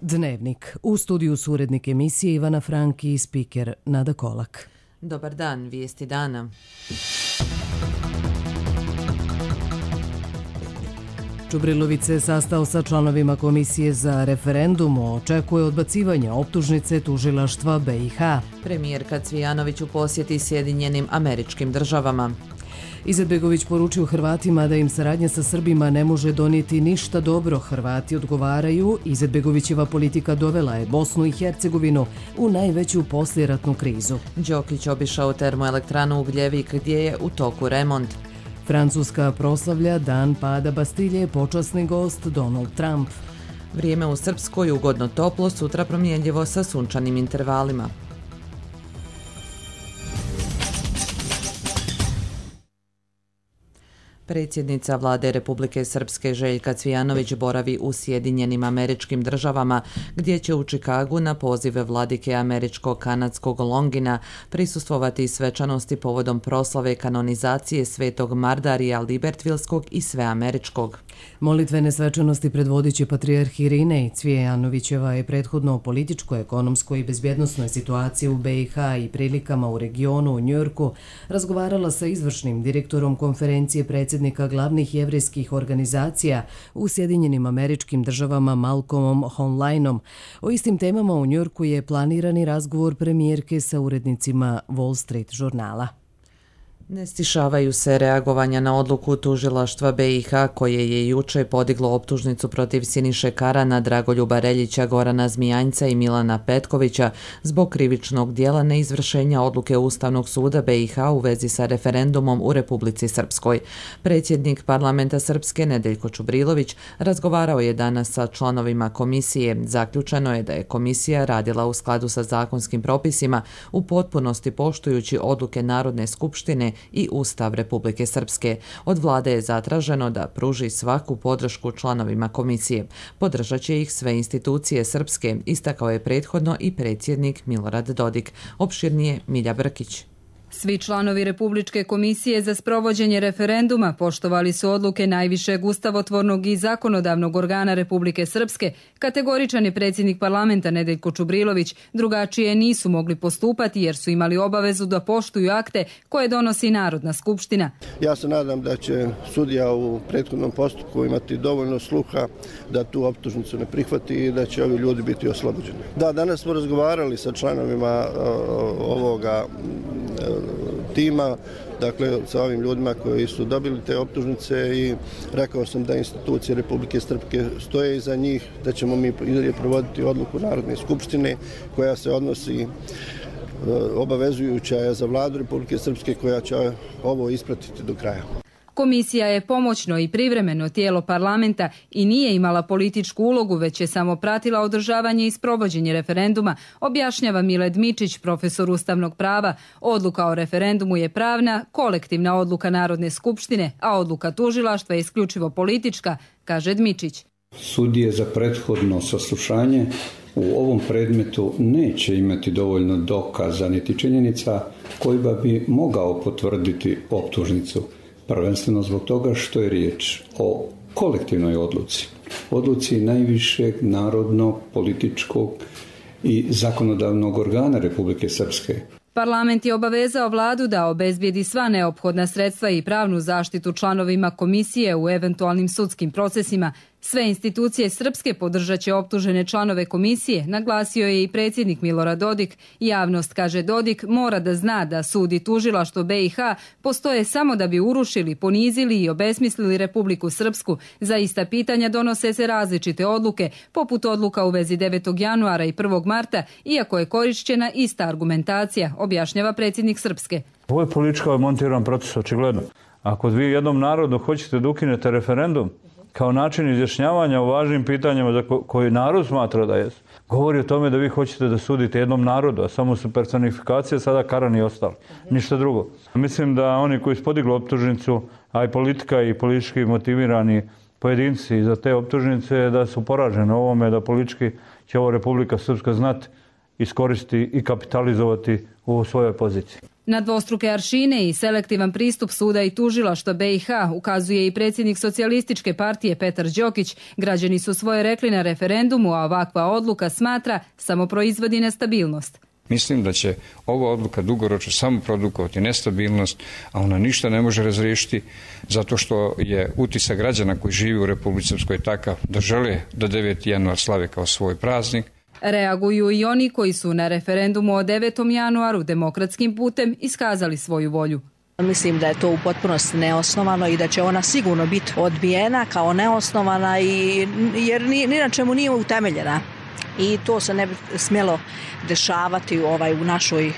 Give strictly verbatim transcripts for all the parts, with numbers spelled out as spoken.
Dnevnik. U studiju su urednik emisije Ivana Franki i spiker Nada Kolak. Dobar dan, vijesti dana. Čubrilović se sastao sa članovima Komisije za referendum, očekuje odbacivanje optužnice tužilaštva B i H. Premijerka Cvijanović u posjeti Sjedinjenim Američkim Državama. Izetbegović poručio Hrvatima da im saradnja sa Srbima ne može donijeti ništa dobro. Hrvati odgovaraju, Izetbegovićeva politika dovela je Bosnu i Hercegovinu u najveću poslijeratnu krizu. Đokić obišao termoelektranu Ugljevik gdje je u toku remont. Francuska proslavlja dan pada Bastilje, počasni gost Donald Trump. Vrijeme u Srpskoj ugodno toplo, sutra promjenjivo sa sunčanim intervalima. Predsjednica vlade Republike Srpske Željka Cvijanović boravi u Sjedinjenim Američkim Državama, gdje će u Čikagu na pozive vladike američko-kanadskog Longina prisustvovati svečanosti povodom proslave kanonizacije svetog Mardarija Libertvilskog i sveameričkog. Molitvene svečanosti predvodit će patrijarh Irinej. Cvijanovićeva je prethodno o političkoj, ekonomskoj i bezbjednosnoj situaciji u B i H i prilikama u regionu u Njujorku razgovarala sa izvršnim direktorom konferencije predsjednika glavnih jevrejskih organizacija u Sjedinjenim Američkim Državama Malcolmom Hoenleinom. O istim temama u Njujorku je planirani razgovor premijerke sa urednicima Wall Street žurnala. Ne stišavaju se reagovanja na odluku tužilaštva B i H koje je juče podiglo optužnicu protiv Siniše Karana, Dragoljuba Reljića, Gorana Zmijanjca i Milana Petkovića zbog krivičnog dijela neizvršenja odluke Ustavnog suda B i H u vezi sa referendumom u Republici Srpskoj. Predsjednik parlamenta Srpske Nedeljko Čubrilović razgovarao je danas sa članovima komisije. Zaključeno je da je komisija radila u skladu sa zakonskim propisima, u potpunosti poštujući odluke Narodne skupštine i Ustav Republike Srpske. Od vlade je zatraženo da pruži svaku podršku članovima komisije. Podržat će ih sve institucije Srpske, istakao je prethodno i predsjednik Milorad Dodik. Opširnije Milja Brkić. Svi članovi Republičke komisije za sprovođenje referenduma poštovali su odluke najvišeg ustavotvornog i zakonodavnog organa Republike Srpske. Kategoričan je predsjednik parlamenta Nedeljko Čubrilović. Drugačije nisu mogli postupati jer su imali obavezu da poštuju akte koje donosi Narodna skupština. Ja se nadam da će sudija u prethodnom postupku imati dovoljno sluha da tu optužnicu ne prihvati i da će ovi ljudi biti oslobođeni. Da, danas smo razgovarali sa članovima uh, ovoga uh, tima, dakle sa ovim ljudima koji su dobili te optužnice i rekao sam da institucije Republike Srpske stoje iza njih, da ćemo mi i dalje provoditi odluku Narodne skupštine koja se odnosi obavezujuća je za vladu Republike Srpske koja će ovo ispratiti do kraja. Komisija je pomoćno i privremeno tijelo parlamenta i nije imala političku ulogu, već je samo pratila održavanje i sprovođenje referenduma, objašnjava Miled Mičić, profesor ustavnog prava. Odluka o referendumu je pravna, kolektivna odluka Narodne skupštine, a odluka tužilaštva je isključivo politička, kaže Dmičić. Sudije za prethodno saslušanje u ovom predmetu neće imati dovoljno dokaza niti činjenica koji bi mogao potvrditi optužnicu. Prvenstveno zbog toga što je riječ o kolektivnoj odluci. Odluci najvišeg narodnog, političkog i zakonodavnog organa Republike Srpske. Parlament je obavezao vladu da obezbijedi sva neophodna sredstva i pravnu zaštitu članovima komisije u eventualnim sudskim procesima. Sve institucije Srpske podržat će optužene članove komisije, naglasio je i predsjednik Milorad Dodik. Javnost, kaže Dodik, mora da zna da sud i tužilaštvo B i H postoje samo da bi urušili, ponizili i obesmislili Republiku Srpsku. Za ista pitanja donose se različite odluke, poput odluka u vezi devetog januara i prvog marta, iako je korišćena ista argumentacija, objašnjava predsjednik Srpske. Ovo je politički montiran proces, očigledno. Ako vi jednom narodu hoćete da ukinete referendum, kao način izjašnjavanja o važnim pitanjima za koji narod smatra da je, govori o tome da vi hoćete da sudite jednom narodu, a samo su personifikacije sada Karan i ostali. Ništa drugo. Mislim da oni koji su podigli optužnicu, a i politika i politički motivirani pojedinci za te optužnice, da su poraženi ovome, da politički će ovo Republika Srpska znati iskoristiti i kapitalizovati u svojoj poziciji. Na dvostruke aršine i selektivan pristup suda i tužilaštva B i H ukazuje i predsjednik Socijalističke partije Petar Đokić. Građani su svoje rekli na referendumu, a ovakva odluka, smatra, samo proizvodi nestabilnost. Mislim da će ova odluka dugoročno samo produkovati nestabilnost, a ona ništa ne može razriješiti zato što je utisak građana koji živi u Republici Srpskoj takav da žele da deveti januar slave kao svoj praznik. Reaguju i oni koji su na referendumu o devetom januaru demokratskim putem iskazali svoju volju. Mislim da je to u potpunosti neosnovano i da će ona sigurno biti odbijena kao neosnovana i, jer ni, ni na čemu nije utemeljena. I to se ne bi smjelo dešavati ovaj, u našoj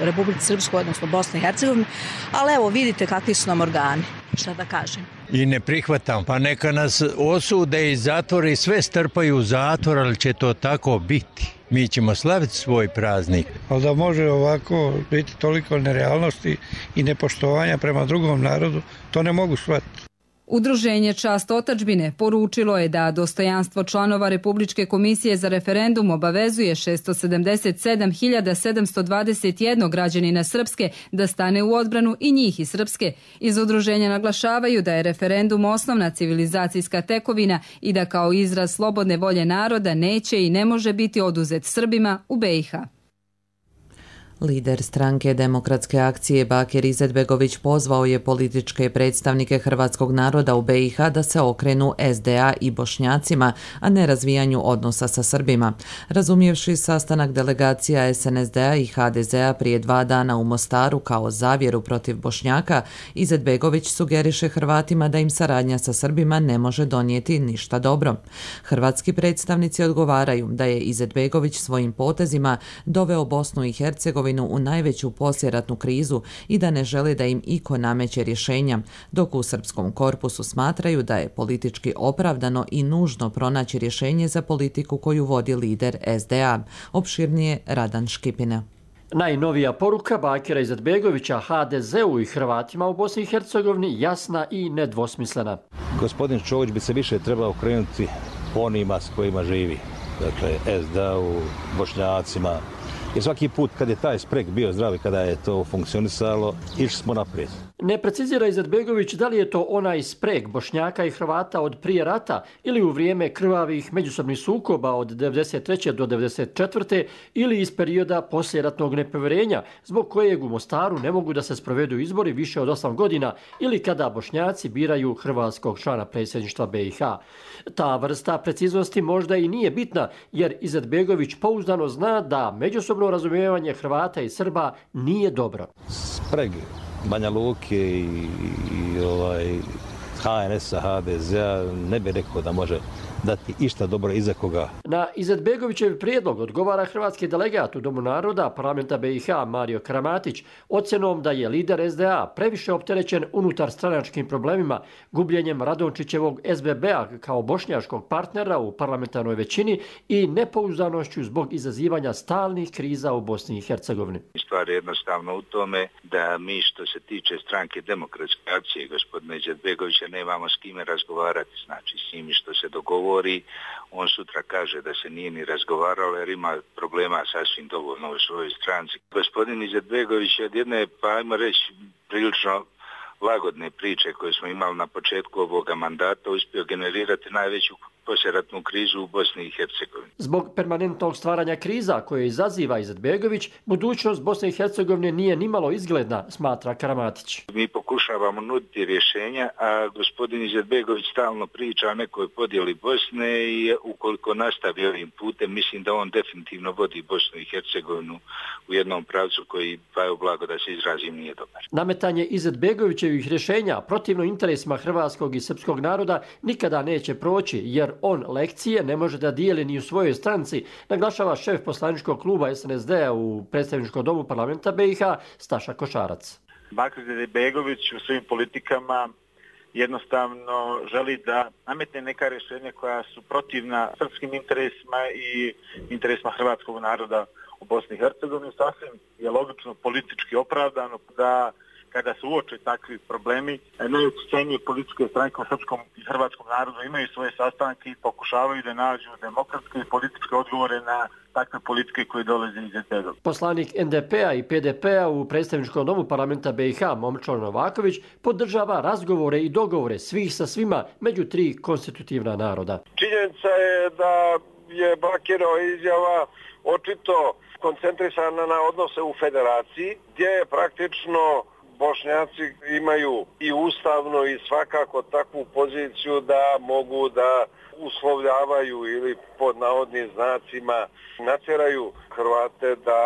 Republici Srpskoj, odnosno Bosni i Hercegovini, ali evo vidite kakvi su nam organi, šta da kažem. I ne prihvatam, pa neka nas osude i zatvore i sve strpaju u zatvor, ali će to tako biti. Mi ćemo slaviti svoj praznik. Ali da može ovako biti toliko nerealnosti i nepoštovanja prema drugom narodu, to ne mogu shvatiti. Udruženje Čast otadžbine poručilo je da dostojanstvo članova Republičke komisije za referendum obavezuje šesto sedamdeset sedam hiljada sedamsto dvadeset jedan građanina Srpske da stane u odbranu i njih iz Srpske. Iz udruženja naglašavaju da je referendum osnovna civilizacijska tekovina i da kao izraz slobodne volje naroda neće i ne može biti oduzet Srbima u B i H. Lider stranke Demokratske akcije Bakir Izetbegović pozvao je političke predstavnike hrvatskog naroda u B i H da se okrenu S D A i Bošnjacima, a ne razvijanju odnosa sa Srbima. Razumijevši sastanak delegacija S N S D-a i H D Z-a prije dva dana u Mostaru kao zavjeru protiv Bošnjaka, Izetbegović sugeriše Hrvatima da im saradnja sa Srbima ne može donijeti ništa dobro. Hrvatski predstavnici odgovaraju da je Izetbegović svojim potezima doveo Bosnu i Hercegovinu u najveću poslijeratnu krizu i da ne žele da im iko nameće rješenja, dok u srpskom korpusu smatraju da je politički opravdano i nužno pronaći rješenje za politiku koju vodi lider S D A. Opširnije Radan Škipina. Najnovija poruka Bakira Izetbegovića H D Z-u i Hrvatima u Bosni i Hercegovini jasna i nedvosmislena. Gospodin Čović bi se više trebao okrenuti onima s kojima živi, dakle S D A-u, Bošnjacima. Jer svaki put kad je taj spreg bio zdrav i kada je to funkcionisalo, išli smo naprijed. Ne precizira Izetbegović da li je to onaj spreg Bošnjaka i Hrvata od prije rata ili u vrijeme krvavih međusobnih sukoba od devedeset treće do devedeset četvrte ili iz perioda poslijeratnog nepovjerenja, zbog kojeg u Mostaru ne mogu da se sprovedu izbori više od osam godina ili kada Bošnjaci biraju hrvatskog člana predsjedništva B i H. Ta vrsta preciznosti možda i nije bitna, jer Izetbegović pouzdano zna da međusobno razumijevanje Hrvata i Srba nije dobro. Spreg Banja Luke i, i ovaj, H N S-a, H D Z-a ne bi rekao da može dati išta dobro iza koga. Na Izetbegovićev prijedlog odgovara hrvatski delegat u Domu naroda parlamenta B i H Mario Karamatić ocjenom da je lider S D A previše opterećen unutar stranačkim problemima, gubljenjem Radončićevog S B B-a kao bošnjaškog partnera u parlamentarnoj većini i nepouzdanošću zbog izazivanja stalnih kriza u Bosni i Hercegovini. Stvar je jednostavno u tome da mi što se tiče stranke Demokratske akcije gospodina Izetbegovića nemamo s kime razgovarati, znači s njimi što se dogovori. On sutra kaže da se nije ni razgovaralo jer ima problema sasvim dovoljno u svojoj stranci. Gospodin Izetbegović je od jedne, pa ajmo reći, prilično lagodne priče koje smo imali na početku ovoga mandata uspio generirati najveću poslijeratnu krizu u Bosni i Hercegovini. Zbog permanentnog stvaranja kriza koje izaziva Izetbegović, budućnost Bosne i Hercegovine nije nimalo izgledna, smatra Karamatić. Mi pokušavamo nuditi rješenja, a gospodin Izetbegović stalno priča o nekoj podjeli Bosne i ukoliko nastavi ovim putem, mislim da on definitivno vodi Bosnu i Hercegovinu u jednom pravcu koji, pa je blago da se izrazim, nije dobar. Nametanje Izetbegovićevih rješenja protivno interesima hrvatskog i srpskog naroda nikada neće proći, jer on lekcije ne može da dijeli ni u svojoj stranci, naglašava šef poslaničkog kluba S N S D-a u predstavničkom domu parlamenta B i H Staša Košarac. Bakir Izetbegović u svojim politikama jednostavno želi da nametne neka rješenja koja su protivna srpskim interesima i interesima hrvatskog naroda u Bosni i Hercegovini. Sasvim je logično politički opravdano da kada se uoče takvi problemi, najopćenije političke stranke u srpskom i hrvatskom narodu imaju svoje sastanke i pokušavaju da nađu demokratske i političke odgovore na takve politike koje dolaze iz Izetbegovića. Poslanik en de pe a i pe de pe a u predstavničkom domu parlamenta be i ha Momčilo Novaković podržava razgovore i dogovore svih sa svima među tri konstitutivna naroda. Činjenica je da je Bakirova izjava očito koncentrisana na odnose u federaciji, gdje je praktično Bošnjaci imaju i ustavno i svakako takvu poziciju da mogu da uslovljavaju ili pod navodnim znacima natjeraju Hrvate da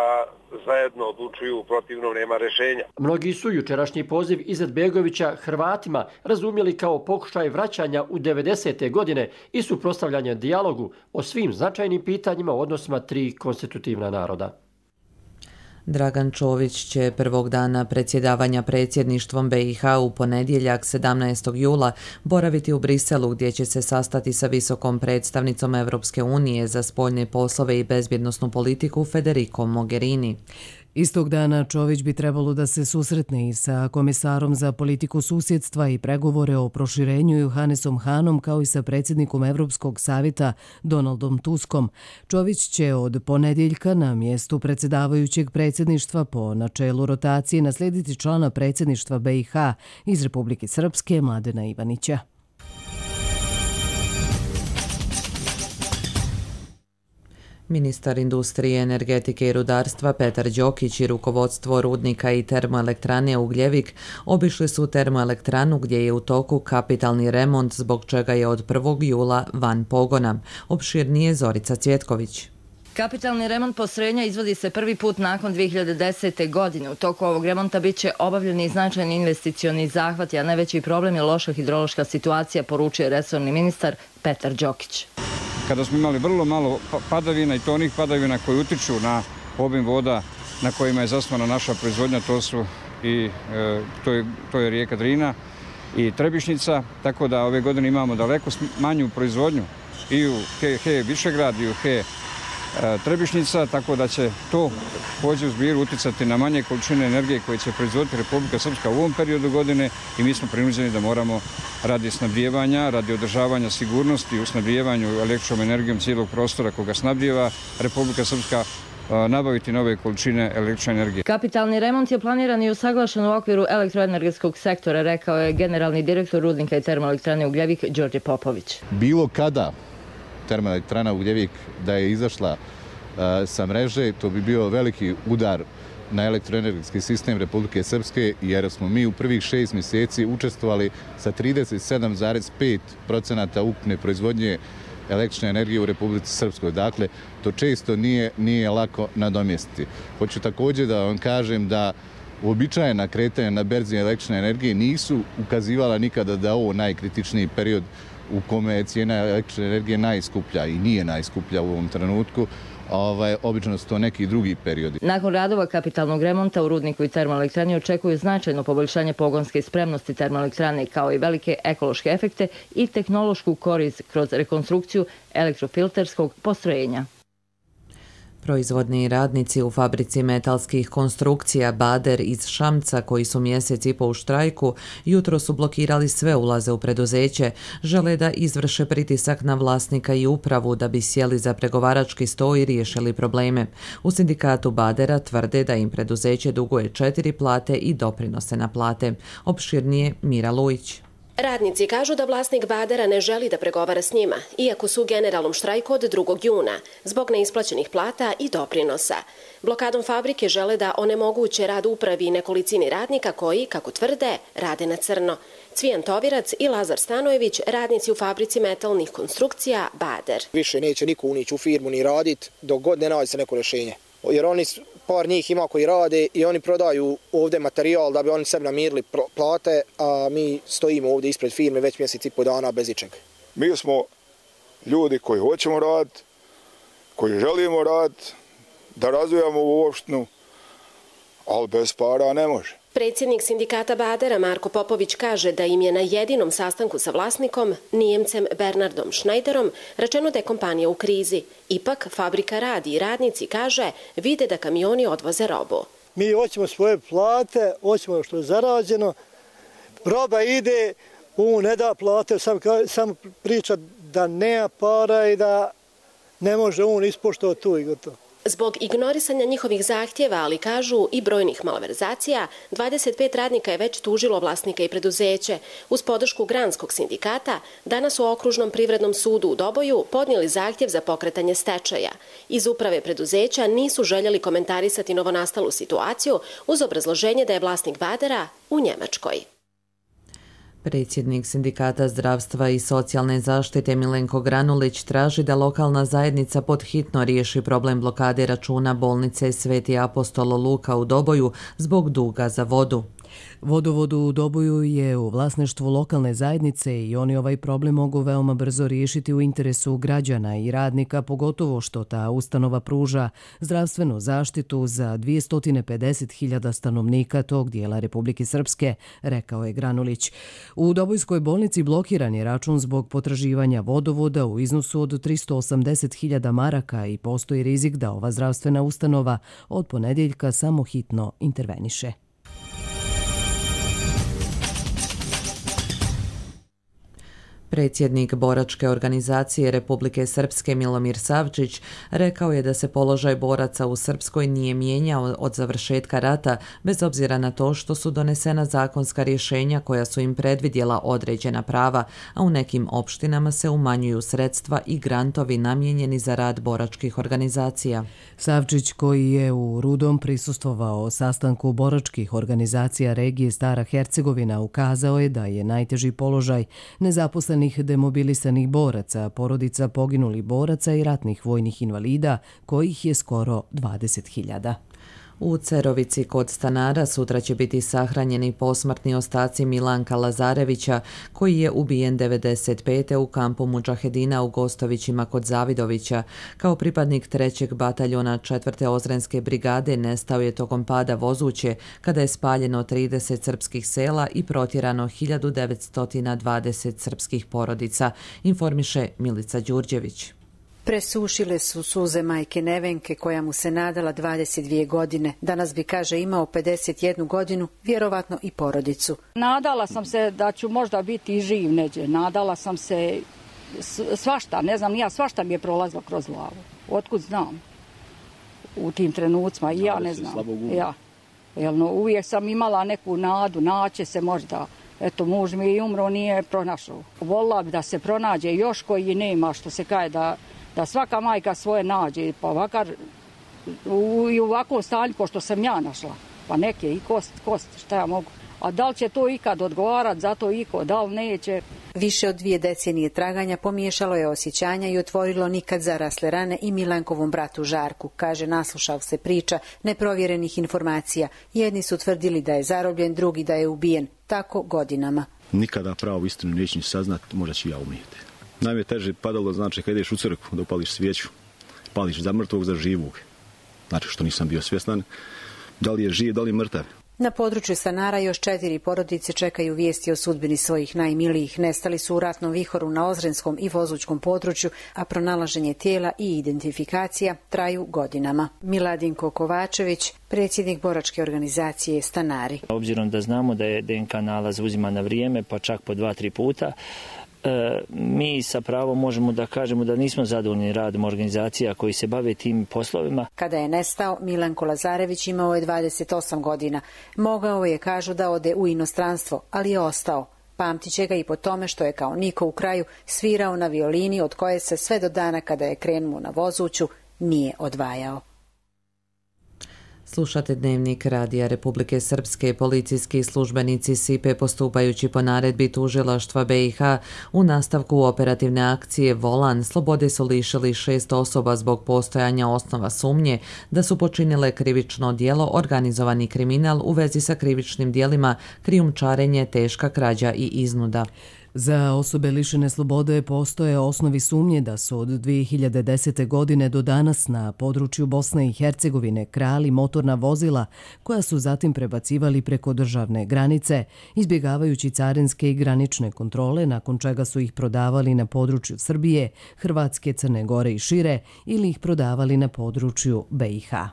zajedno odlučuju, protivno nema rješenja. Mnogi su jučerašnji poziv Izetbegovića Hrvatima razumjeli kao pokušaj vraćanja u devedesete godine i suprotstavljanja dijalogu o svim značajnim pitanjima u odnosima tri konstitutivna naroda. Dragan Čović će prvog dana predsjedavanja predsjedništvom be i ha u ponedjeljak sedamnaestog jula boraviti u Briselu gdje će se sastati sa visokom predstavnicom Europske unije za spoljne poslove i bezbjednosnu politiku Federico Mogherini. Istog dana Čović bi trebalo da se susretne i sa komisarom za politiku susjedstva i pregovore o proširenju Johannesom Hanom kao i sa predsjednikom Evropskog savjeta Donaldom Tuskom. Čović će od ponedjeljka na mjestu predsjedavajućeg predsjedništva po načelu rotacije naslijediti člana predsjedništva be i ha iz Republike Srpske Mladena Ivanića. Ministar industrije, energetike i rudarstva Petar Đokić i rukovodstvo rudnika i termoelektrane Ugljevik obišli su termoelektranu gdje je u toku kapitalni remont zbog čega je od prvog jula van pogona. Opširnije Zorica Cvjetković. Kapitalni remont postrojenja izvodi se prvi put nakon dvije hiljade desete. godine. U toku ovog remonta bit će obavljeni značajni investicioni zahvati, a najveći problem je loša hidrološka situacija, poručuje resorni ministar Petar Đokić. Kada smo imali vrlo malo padavina i to onih padavina koji utiču na obim voda na kojima je zasnovana naša proizvodnja, to su i e, to, je, to je rijeka Drina i Trebišnica, tako da ove godine imamo daleko manju proizvodnju i u He, He Višegrad i u He Trebišnica, tako da će to pođe u zbiru uticati na manje količine energije koje će proizvoditi Republika Srpska u ovom periodu godine i mi smo prinuđeni da moramo radi snabdijevanja, radi održavanja sigurnosti u snabdijevanju električnom energijom cijelog prostora koga snabdijeva Republika Srpska nabaviti nove količine električne energije. Kapitalni remont je planiran i usaglašen u okviru elektroenergetskog sektora, rekao je generalni direktor rudnika i termoelektrane Ugljevik Đorđe Popović. Bilo kada termoelektrana Ugljevik da je izašla uh, sa mreže, to bi bio veliki udar na elektroenergetski sistem Republike Srpske, jer smo mi u prvih šest mjeseci učestvovali sa trideset sedam zarez pet procenata ukupne proizvodnje električne energije u Republici Srpskoj. Dakle, to često nije, nije lako nadomjestiti. Hoću također da vam kažem da uobičajena kretanja na berzi električne energije nisu ukazivala nikada da je ovo najkritičniji period u kome je cijena električne energije najskuplja i nije najskuplja u ovom trenutku. Ovaj, obično su to neki drugi periodi. Nakon radova kapitalnog remonta u rudniku i termoelektrani očekuju značajno poboljšanje pogonske spremnosti termoelektrane kao i velike ekološke efekte i tehnološku korist kroz rekonstrukciju elektrofilterskog postrojenja. Proizvodni radnici u fabrici metalskih konstrukcija Bader iz Šamca, koji su mjesec i po u štrajku, jutro su blokirali sve ulaze u preduzeće. Žele da izvrše pritisak na vlasnika i upravu da bi sjeli za pregovarački sto i riješili probleme. U sindikatu Badera tvrde da im preduzeće duguje četiri plate i doprinose na plate. Opširnije Mira Lujić. Radnici kažu da vlasnik Badera ne želi da pregovara s njima, iako su u generalnom štrajku od drugog juna, zbog neisplaćenih plata i doprinosa. Blokadom fabrike žele da onemoguće rad upravi i nekolicini radnika koji, kako tvrde, rade na crno. Cvijan Tovirac i Lazar Stanojević, radnici u fabrici metalnih konstrukcija Bader. Više neće niko unići u firmu ni raditi dok god ne nađe se neko rješenje. Jer oni, par njih ima koji rade i oni prodaju ovdje materijal da bi oni sebi namirili plate, a mi stojimo ovdje ispred firme već mjesec i po dana bez ičega. Mi smo ljudi koji hoćemo raditi, koji želimo raditi, da razvijamo u opštinu, ali bez para ne može. Predsjednik sindikata Badera Marko Popović kaže da im je na jedinom sastanku sa vlasnikom, Nijemcem Bernardom Schneiderom, rečeno da je kompanija u krizi. Ipak, fabrika radi i radnici, kaže, vide da kamioni odvoze robu. Mi hoćemo svoje plate, hoćemo što je zarađeno, roba ide, on ne da plate, sam, sam priča da nema para i da ne može on ispoštovati tu i gotovo. Zbog ignorisanja njihovih zahtjeva, ali kažu i brojnih malverzacija, dvadeset pet radnika je već tužilo vlasnike i preduzeće. Uz podršku Granskog sindikata, danas u Okružnom privrednom sudu u Doboju podnijeli zahtjev za pokretanje stečaja. Iz uprave preduzeća nisu željeli komentarisati novonastalu situaciju uz obrazloženje da je vlasnik Badera u Njemačkoj. Predsjednik Sindikata zdravstva i socijalne zaštite Milenko Granulić traži da lokalna zajednica podhitno riješi problem blokade računa bolnice Sveti Apostol Luka u Doboju zbog duga za vodu. Vodovod u Doboju je u vlasništvu lokalne zajednice i oni ovaj problem mogu veoma brzo riješiti u interesu građana i radnika, pogotovo što ta ustanova pruža zdravstvenu zaštitu za dvjesto pedeset hiljada stanovnika tog dijela Republike Srpske, rekao je Granulić. U Dobojskoj bolnici blokiran je račun zbog potraživanja vodovoda u iznosu od tristo osamdeset hiljada maraka i postoji rizik da ova zdravstvena ustanova od ponedjeljka samo hitno interveniše. Predsjednik boračke organizacije Republike Srpske Milomir Savčić rekao je da se položaj boraca u Srpskoj nije mijenjao od završetka rata, bez obzira na to što su donesena zakonska rješenja koja su im predvidjela određena prava, a u nekim opštinama se umanjuju sredstva i grantovi namijenjeni za rad boračkih organizacija. Savčić, koji je u Rudom prisustvovao sastanku boračkih organizacija regije Stara Hercegovina, ukazao je da je najteži položaj nezaposlenih demobilisanih boraca, porodica poginulih boraca i ratnih vojnih invalida, kojih je skoro dvadeset hiljada. U Cerovici kod stanara sutra će biti sahranjeni posmrtni ostaci Milanka Lazarevića, koji je ubijen devedeset pete u kampu Mudžahedina u Gostovićima kod Zavidovića. Kao pripadnik trećeg bataljona četvrte Ozrenske brigade nestao je tokom pada vozuće, kada je spaljeno trideset srpskih sela i protjerano hiljadu devetsto dvadeset srpskih porodica, informiše Milica Đurđević. Presušile su suze majke Nevenke, koja mu se nadala dvadeset dvije godine. Danas bi, kaže, imao pedeset jednu godinu, vjerovatno i porodicu. Nadala sam se da ću možda biti živ neđe. Nadala sam se svašta, ne znam, ja svašta mi je prolazilo kroz glavu. Otkud znam u tim trenucima, i ja ne znam. Ja. Jelno, uvijek sam imala neku nadu, naće se možda. Eto, muž mi je umro, nije pronašao. Volila bi da se pronađe još koji nema, što se kaže da da svaka majka svoje nađe, pa ovakar u, i u ovakvom stanju ko što sam ja našla, pa neke i kost, kost, šta ja mogu. A da li će to ikad odgovarati za to iko, da li neće? Više od dvije decenije traganja pomiješalo je osjećanja i otvorilo nikad zarasle rane i Milankovom bratu Žarku, kaže naslušao se priča neprovjerenih informacija. Jedni su tvrdili da je zarobljen, drugi da je ubijen, tako godinama. Nikada pravu istinu neću saznati, možda ću ja umijeti. Najme teže padalo, znači, kad ideš u crkvu da upališ svijeću, pališ za mrtvog, za živog. Znači, što nisam bio svjestan, da li je živ, da li je mrtav. Na području stanara još četiri porodice čekaju vijesti o sudbini svojih najmilijih. Nestali su u ratnom vihoru na Ozrenskom i Vozućkom području, a pronalaženje tijela i identifikacija traju godinama. Miladinko Kovačević, predsjednik boračke organizacije Stanari. Obzirom da znamo da je D N K nalaz uzima na vrijeme, pa čak po dva, tri puta, mi sa pravom možemo da kažemo da nismo zadovoljni radom organizacija koji se bave tim poslovima. Kada je nestao, Milanko Lazarević imao je dvadeset osam godina. Mogao je, kažu, da ode u inostranstvo, ali je ostao. Pamtit će ga i po tome što je kao niko u kraju svirao na violini, od koje se sve do dana kada je krenuo na Vozuću nije odvajao. Slušate Dnevnik Radija Republike Srpske. Policijski službenici Sipe, postupajući po naredbi tužilaštva B i H u nastavku operativne akcije Volan, slobode su lišili šest osoba zbog postojanja osnova sumnje da su počinile krivično djelo organizovani kriminal u vezi sa krivičnim djelima krijumčarenje, teška krađa i iznuda. Za osobe lišene slobode postoje osnovi sumnje da su od dvije hiljade desete. godine do danas na području Bosne i Hercegovine krali motorna vozila koja su zatim prebacivali preko državne granice, izbjegavajući carinske i granične kontrole, nakon čega su ih prodavali na području Srbije, Hrvatske, Crne Gore i šire ili ih prodavali na području B i H.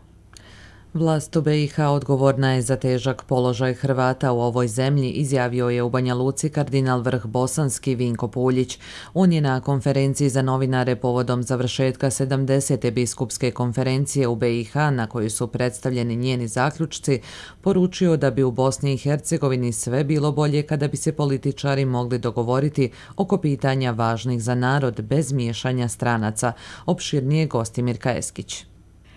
Vlast u B i H odgovorna je za težak položaj Hrvata u ovoj zemlji, izjavio je u Banja Luci kardinal vrh bosanski Vinko Puljić. On je na konferenciji za novinare povodom završetka sedamdesete biskupske konferencije u B i H, na kojoj su predstavljeni njeni zaključci, poručio da bi u Bosni i Hercegovini sve bilo bolje kada bi se političari mogli dogovoriti oko pitanja važnih za narod bez miješanja stranaca. Opširnije gosti Mirka Eskić.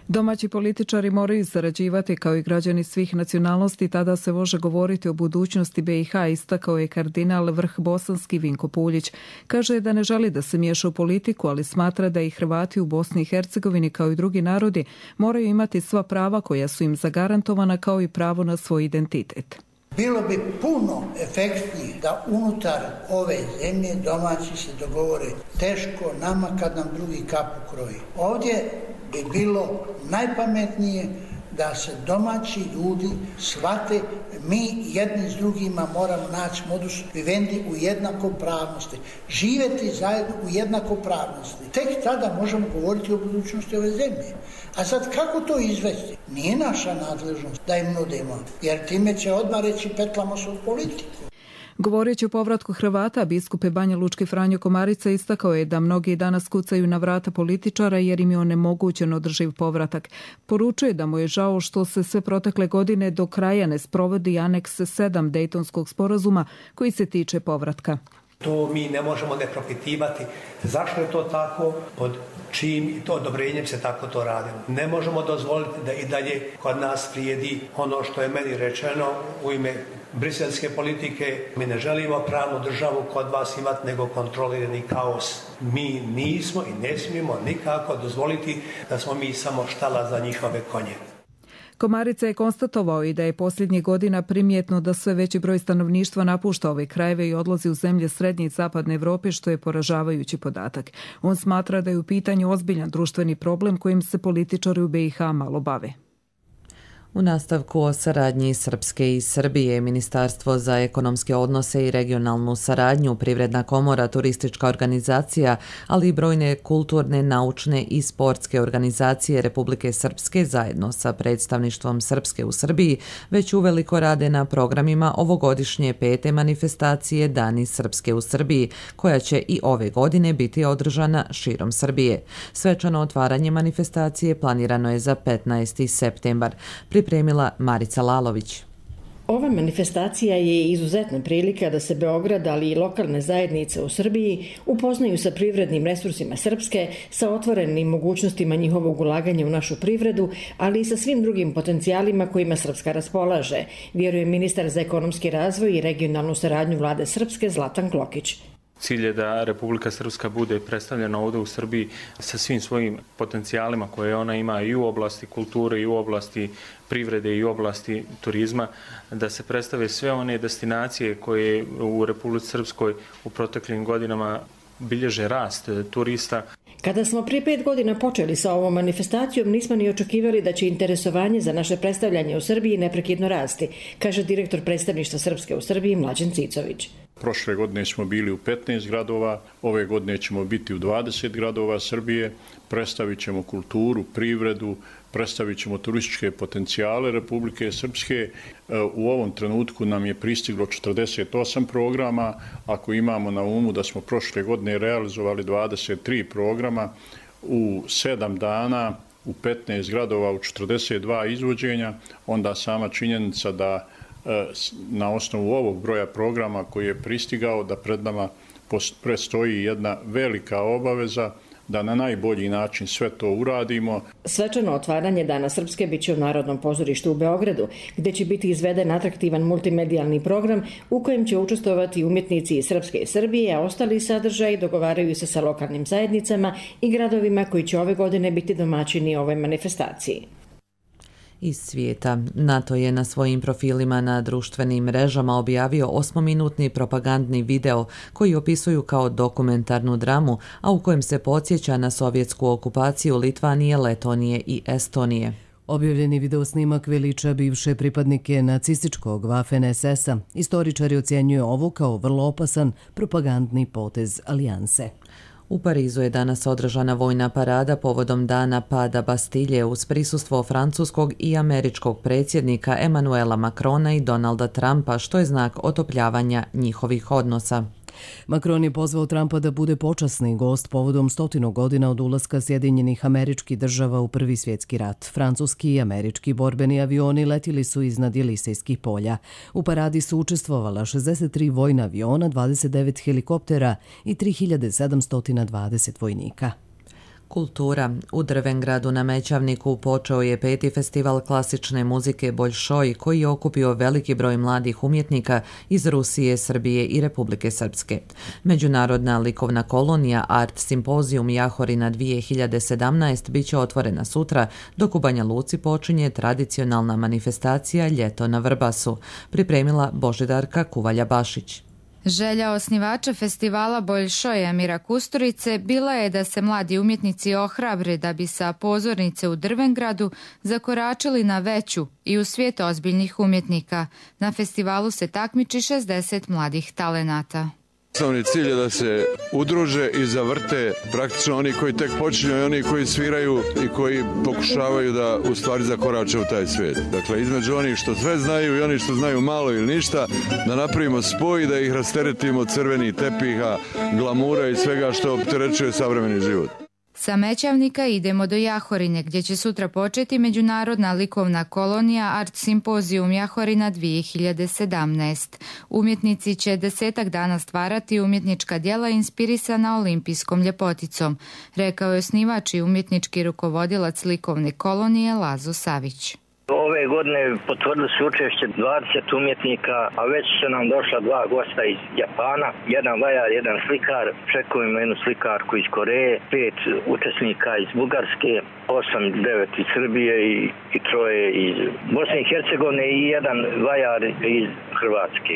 Domaći političari moraju sarađivati kao i građani svih nacionalnosti, tada se može govoriti o budućnosti B i H, istakao je kardinal vrh bosanski Vinko Puljić. Kaže da ne želi da se miješa u politiku, ali smatra da i Hrvati u Bosni i Hercegovini kao i drugi narodi moraju imati sva prava koja su im zagarantovana, kao i pravo na svoj identitet. Bilo bi puno efektnije da unutar ove zemlje domaći se dogovore. Teško nama kad nam drugi kapu kroji. Ovdje bi bilo najpametnije da se domaći ljudi shvate, mi jedni s drugima moramo naći modus vivendi u jednakopravnosti, živjeti zajedno u jednakopravnosti. Tek tada možemo govoriti o budućnosti ove zemlje. A sad kako to izvesti? Nije naša nadležnost da im nudimo, jer time će odmah reći petlamo se u politiku. Govoreći o povratku Hrvata, biskup Banja Lučki Franjo Komarica istakao je da mnogi danas kucaju na vrata političara jer im je onemogućen održiv povratak. Poručuje da mu je žao što se sve protekle godine do kraja ne sprovodi aneks sedam Dejtonskog sporazuma koji se tiče povratka. To mi ne možemo ne propitivati. Zašto je to tako? Pod čijim i to odobrenjem se tako to radilo. Ne možemo dozvoliti da i dalje kod nas vrijedi ono što je meni rečeno u ime briselske politike. Mi ne želimo pravnu državu kod vas imati, nego kontrolirani kaos. Mi nismo i ne smijemo nikako dozvoliti da smo mi samo štala za njihove konje. Komarica je konstatovao i da je posljednjih godina primjetno da sve veći broj stanovništva napušta ove krajeve i odlazi u zemlje srednje i zapadne Evrope, što je poražavajući podatak. On smatra da je u pitanju ozbiljan društveni problem kojim se političari u B i H malo bave. U nastavku o saradnji Srpske i Srbije, Ministarstvo za ekonomske odnose i regionalnu saradnju, Privredna komora, turistička organizacija, ali i brojne kulturne, naučne i sportske organizacije Republike Srpske zajedno sa predstavništvom Srpske u Srbiji već uveliko rade na programima ovogodišnje pete manifestacije Dani Srpske u Srbiji, koja će i ove godine biti održana širom Srbije. Svečano otvaranje manifestacije planirano je za petnaesti septembar. Pripremila Marica Lalović. Ova manifestacija je izuzetna prilika da se Beograd, ali i lokalne zajednice u Srbiji upoznaju sa privrednim resursima Srpske, sa otvorenim mogućnostima njihovog ulaganja u našu privredu, ali i sa svim drugim potencijalima kojima Srpska raspolaže, vjeruje ministar za ekonomski razvoj i regionalnu saradnju vlade Srpske Zlatan Klokić. Cilj je da Republika Srpska bude predstavljena ovdje u Srbiji sa svim svojim potencijalima koje ona ima i u oblasti kulture, i u oblasti privrede, i u oblasti turizma, da se predstave sve one destinacije koje u Republici Srpskoj u proteklim godinama bilježe rast turista. Kada smo prije pet godina počeli sa ovom manifestacijom, nismo ni očekivali da će interesovanje za naše predstavljanje u Srbiji neprekidno rasti, kaže direktor predstavništva Srpske u Srbiji Mlađan Cicović. Prošle godine smo bili u petnaest gradova, ove godine ćemo biti u dvadeset gradova Srbije, predstavit ćemo kulturu, privredu, predstavit ćemo turističke potencijale Republike Srpske. U ovom trenutku nam je pristiglo četrdeset osam programa, ako imamo na umu da smo prošle godine realizovali dvadeset tri programa u sedam dana, u petnaest gradova, u četrdeset dva izvođenja, onda sama činjenica da na osnovu ovog broja programa koji je pristigao da pred nama predstoji jedna velika obaveza da na najbolji način sve to uradimo. Svečano otvaranje Dana Srpske biće u Narodnom pozorištu u Beogradu, gdje će biti izveden atraktivan multimedijalni program u kojem će učestvovati umjetnici iz Srpske i Srbije, a ostali sadržaji dogovaraju se sa lokalnim zajednicama i gradovima koji će ove godine biti domaćini ove manifestaciji. Iz svijeta. NATO je na svojim profilima na društvenim mrežama objavio osmominutni propagandni video koji opisuju kao dokumentarnu dramu, a u kojem se podsjeća na sovjetsku okupaciju Litvanije, Letonije i Estonije. Objavljeni videosnimak veliča bivše pripadnike nacističkog Waffen es esa. Istoričari ocjenjuju ovo kao vrlo opasan propagandni potez alijanse. U Parizu je danas održana vojna parada povodom dana pada Bastilje uz prisustvo francuskog i američkog predsjednika Emmanuela Macrona i Donalda Trumpa, što je znak otopljavanja njihovih odnosa. Macron je pozvao Trumpa da bude počasni gost povodom stotinu godina od ulaska Sjedinjenih Američkih Država u Prvi svjetski rat. Francuski i američki borbeni avioni letili su iznad Jelisejskih polja. U paradi su učestvovala šezdeset tri vojna aviona, dvadeset devet helikoptera i tri hiljade sedamsto dvadeset vojnika. Kultura. U Drvengradu na Mećavniku počeo je peti festival klasične muzike Boljšoj, koji je okupio veliki broj mladih umjetnika iz Rusije, Srbije i Republike Srpske. Međunarodna likovna kolonija Art Simpozijum Jahorina dvije hiljade sedamnaest bit će otvorena sutra, dok u Banja Luci počinje tradicionalna manifestacija Ljeto na Vrbasu, pripremila Božidarka Kuvalja-Bašić. Želja osnivača festivala Boljšoj Emira Kusturice bila je da se mladi umjetnici ohrabre da bi sa pozornice u Drvengradu zakoračili na veću i u svijet ozbiljnih umjetnika. Na festivalu se takmiči šezdeset mladih talenata. Osnovni cilj je da se udruže i zavrte praktično oni koji tek počinju i oni koji sviraju i koji pokušavaju da u stvari zakorače u taj svijet. Dakle, između onih što sve znaju i oni što znaju malo ili ništa, da napravimo spoj i da ih rasteretimo od crvenih tepiha, glamura i svega što opterećuje savremeni život. Sa Mećavnika idemo do Jahorine, gdje će sutra početi Međunarodna likovna kolonija Art Simpozijum Jahorina dvije hiljade sedamnaest. Umjetnici će desetak dana stvarati umjetnička djela inspirisana olimpijskom ljepoticom, rekao je osnivač i umjetnički rukovodilac likovne kolonije Lazo Savić. Ove godine potvrdili su učešće dvadeset umjetnika, a već su nam došla dva gosta iz Japana, jedan vajar, jedan slikar, čekujemo jednu slikarku iz Koreje, pet učesnika iz Bugarske, osam, devet iz Srbije i, i troje iz Bosne i Hercegovine i jedan vajar iz Hrvatske.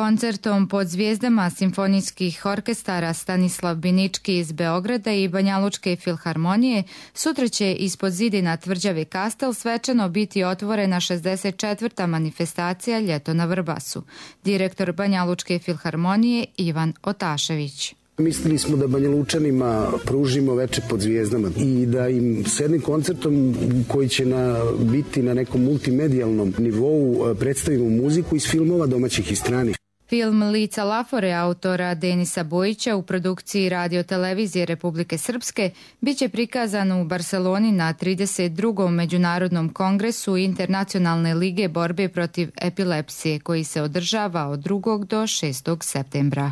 Koncertom pod zvijezdama simfonijskih orkestara Stanislav Binički iz Beograda i Banjalučke filharmonije sutra će ispod zidina tvrđave Kastel svečano biti otvorena šezdeset četvrta manifestacija Ljeto na Vrbasu. Direktor Banjalučke filharmonije Ivan Otašević. Mislili smo da Banjalučanima pružimo veče pod zvijezdama i da im s jednim koncertom koji će na, biti na nekom multimedijalnom nivou predstavimo muziku iz filmova domaćih i stranih. Film Lica Lafore autora Denisa Bojića u produkciji Radio-televizije Republike Srpske bit će prikazan u Barceloni na trideset drugom Međunarodnom kongresu Internacionalne lige borbe protiv epilepsije koji se održava od drugog do šestog septembra.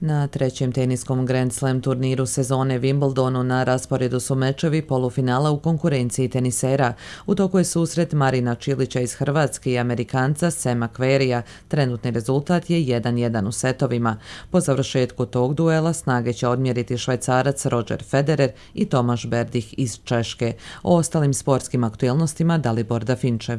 Na trećem teniskom Grand Slam turniru sezone Wimbledonu na rasporedu su mečevi polufinala u konkurenciji tenisera. U toku je susret Marina Čilića iz Hrvatske i Amerikanca Sema Querreyja. Trenutni rezultat je jedan jedan u setovima. Po završetku tog duela snage će odmjeriti Švajcarac Roger Federer i Tomaš Berdih iz Češke. O ostalim sportskim aktualnostima Dalibor Dafinčev.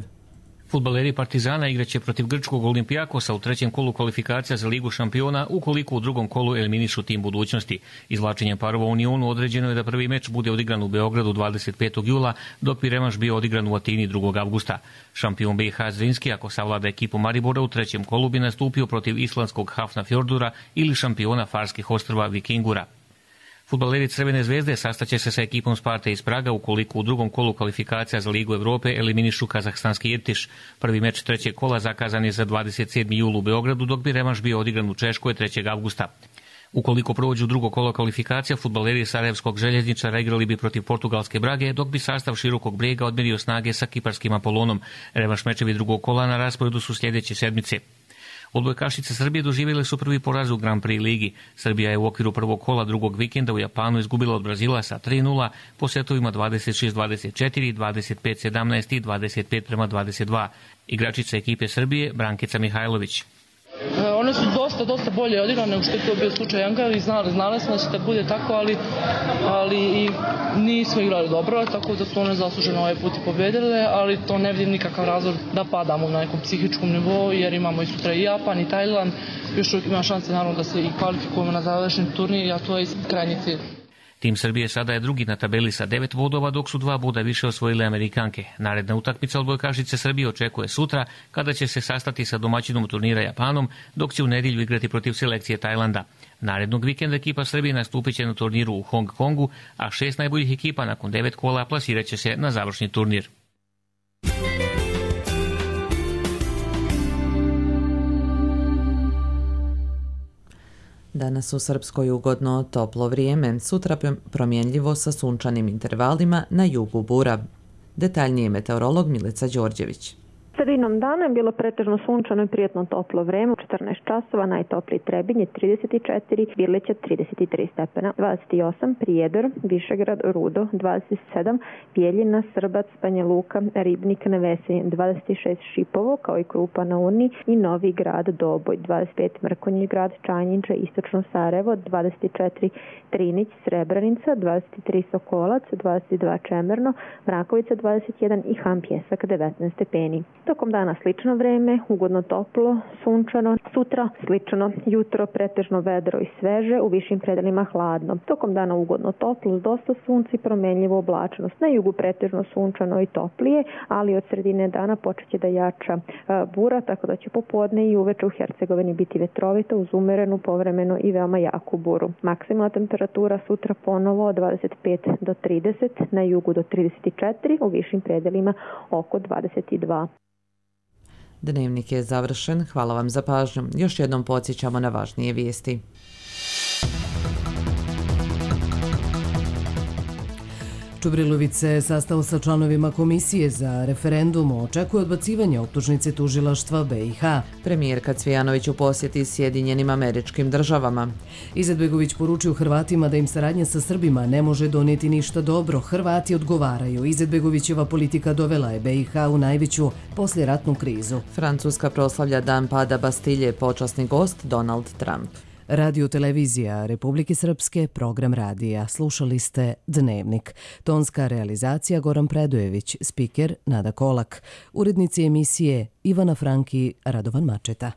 Fudbaleri Partizana igraće protiv grčkog Olimpijakosa u trećem kolu kvalifikacija za Ligu šampiona ukoliko u drugom kolu eliminišu tim budućnosti. Izvlačenjem parova u Unionu određeno je da prvi meč bude odigran u Beogradu dvadeset petog jula, dok bi revanš bio odigran u Atini drugog avgusta. Šampion B i H Zrinski, ako savlada ekipu Maribora, u trećem kolu bi nastupio protiv islandskog Hafnarfjordura ili šampiona Farskih ostrva Vikingura. Fudbaleri Crvene zvezde sastaće se sa ekipom Sparte iz Praga ukoliko u drugom kolu kvalifikacija za Ligu Evrope eliminišu kazahstanski Irtiš. Prvi meč trećeg kola zakazan je za dvadeset sedmi jul u Beogradu, dok bi revanš bio odigran u Češkoj trećeg avgusta. Ukoliko prođu drugo kolo kvalifikacija, fudbaleri Sarajevskog Željezničara igrali bi protiv portugalske Brage, dok bi sastav Širokog Brijega odmerio snage sa kiparskim Apolonom. Revanš mečevi drugog kola na rasporedu su sljedeće sedmice. Odbojkašice Srbije doživjele su prvi poraz u Grand Prix ligi. Srbija je u okviru prvog kola drugog vikenda u Japanu izgubila od Brazila sa tri nula po setovima dvadeset šest dvadeset četiri, dvadeset pet sedamnaest i dvadeset pet prema dvadeset dva. Igračica ekipe Srbije Brankica Mihajlović. One su dosta, dosta bolje odigrane nego što je to bio slučaj Ankara i znali, znali smo da će da bude tako, ali, ali i nismo igrali dobro, tako da su one zasluženo ovaj put i pobedile, ali to ne vidim nikakav razlog da padamo na nekom psihičkom nivou, jer imamo i sutra i Japan i Tajland, još uvijek ima šanse naravno da se i kvalifikujemo na završen turnir, a to je krajnji cilj. Tim Srbije sada je drugi na tabeli sa devet bodova, dok su dva boda više osvojile Amerikanke. Naredna utakmica odbojkašice Srbije očekuje sutra, kada će se sastati sa domaćinom turnira Japanom, dok će u nedjelju igrati protiv selekcije Tajlanda. Narednog vikenda ekipa Srbije nastupit će na turniru u Hong Kongu, a šest najboljih ekipa nakon devet kola plasirat će se na završni turnir. Danas u Srpskoj ugodno toplo vrijeme, sutra promjenljivo sa sunčanim intervalima, na jugu bura. Detaljnije meteorolog Milica Đorđević. Sredinom dana je bilo pretežno sunčano i prijatno toplo vreme, u četrnaest časova najtopliji Trebinje trideset četiri, Birleća trideset tri stepena, dvadeset osam Prijedor, Višegrad, Rudo, dvadeset sedam Bijeljina, Srbac, Banja Luka, Ribnik na Vesenje, dvadeset šest Šipovo, kao i Krupa na Uni i Novi Grad Doboj, dvadeset pet Mrkonjić Grad, Čanjinče, Istočno Sarajevo, dvadeset četiri Trinić, Srebrenica, dvadeset tri Sokolac, dvadeset dva Čemerno, Mrakovica dvadeset jedan i Han Pjesak devetnaest stepeni. Tokom dana slično vreme, ugodno toplo, sunčano, sutra slično, jutro pretežno vedro i sveže, u višim predelima hladno. Tokom dana ugodno toplo, s dosta sunca i promenljivo oblačnost. Na jugu pretežno sunčano i toplije, ali od sredine dana počeće da jača bura, tako da će popodne i uveče u Hercegovini biti vetrovito uz umerenu, povremeno i veoma jaku buru. Maksimalna temperatura sutra ponovo od dvadeset pet do trideset, na jugu do trideset četiri, u višim predelima oko dvadeset dva. Dnevnik je završen. Hvala vam za pažnju. Još jednom podsjećamo na važnije vijesti. Čubrilović se sastao sa članovima komisije za referendum, očekuje odbacivanje optužnice tužilaštva B i H. Premijerka Cvijanović u posjeti Sjedinjenim Američkim Državama. Izetbegović poručio Hrvatima da im saradnja sa Srbima ne može donijeti ništa dobro. Hrvati odgovaraju. Izetbegovićeva politika dovela je B i H u najveću posljeratnu krizu. Francuska proslavlja dan pada Bastilje, počasni gost Donald Trump. Radio televizija Republike Srpske, program radija. Slušali ste Dnevnik. Tonska realizacija Goran Predojević, spiker Nada Kolak. Urednici emisije Ivana Franki, Radovan Mačeta.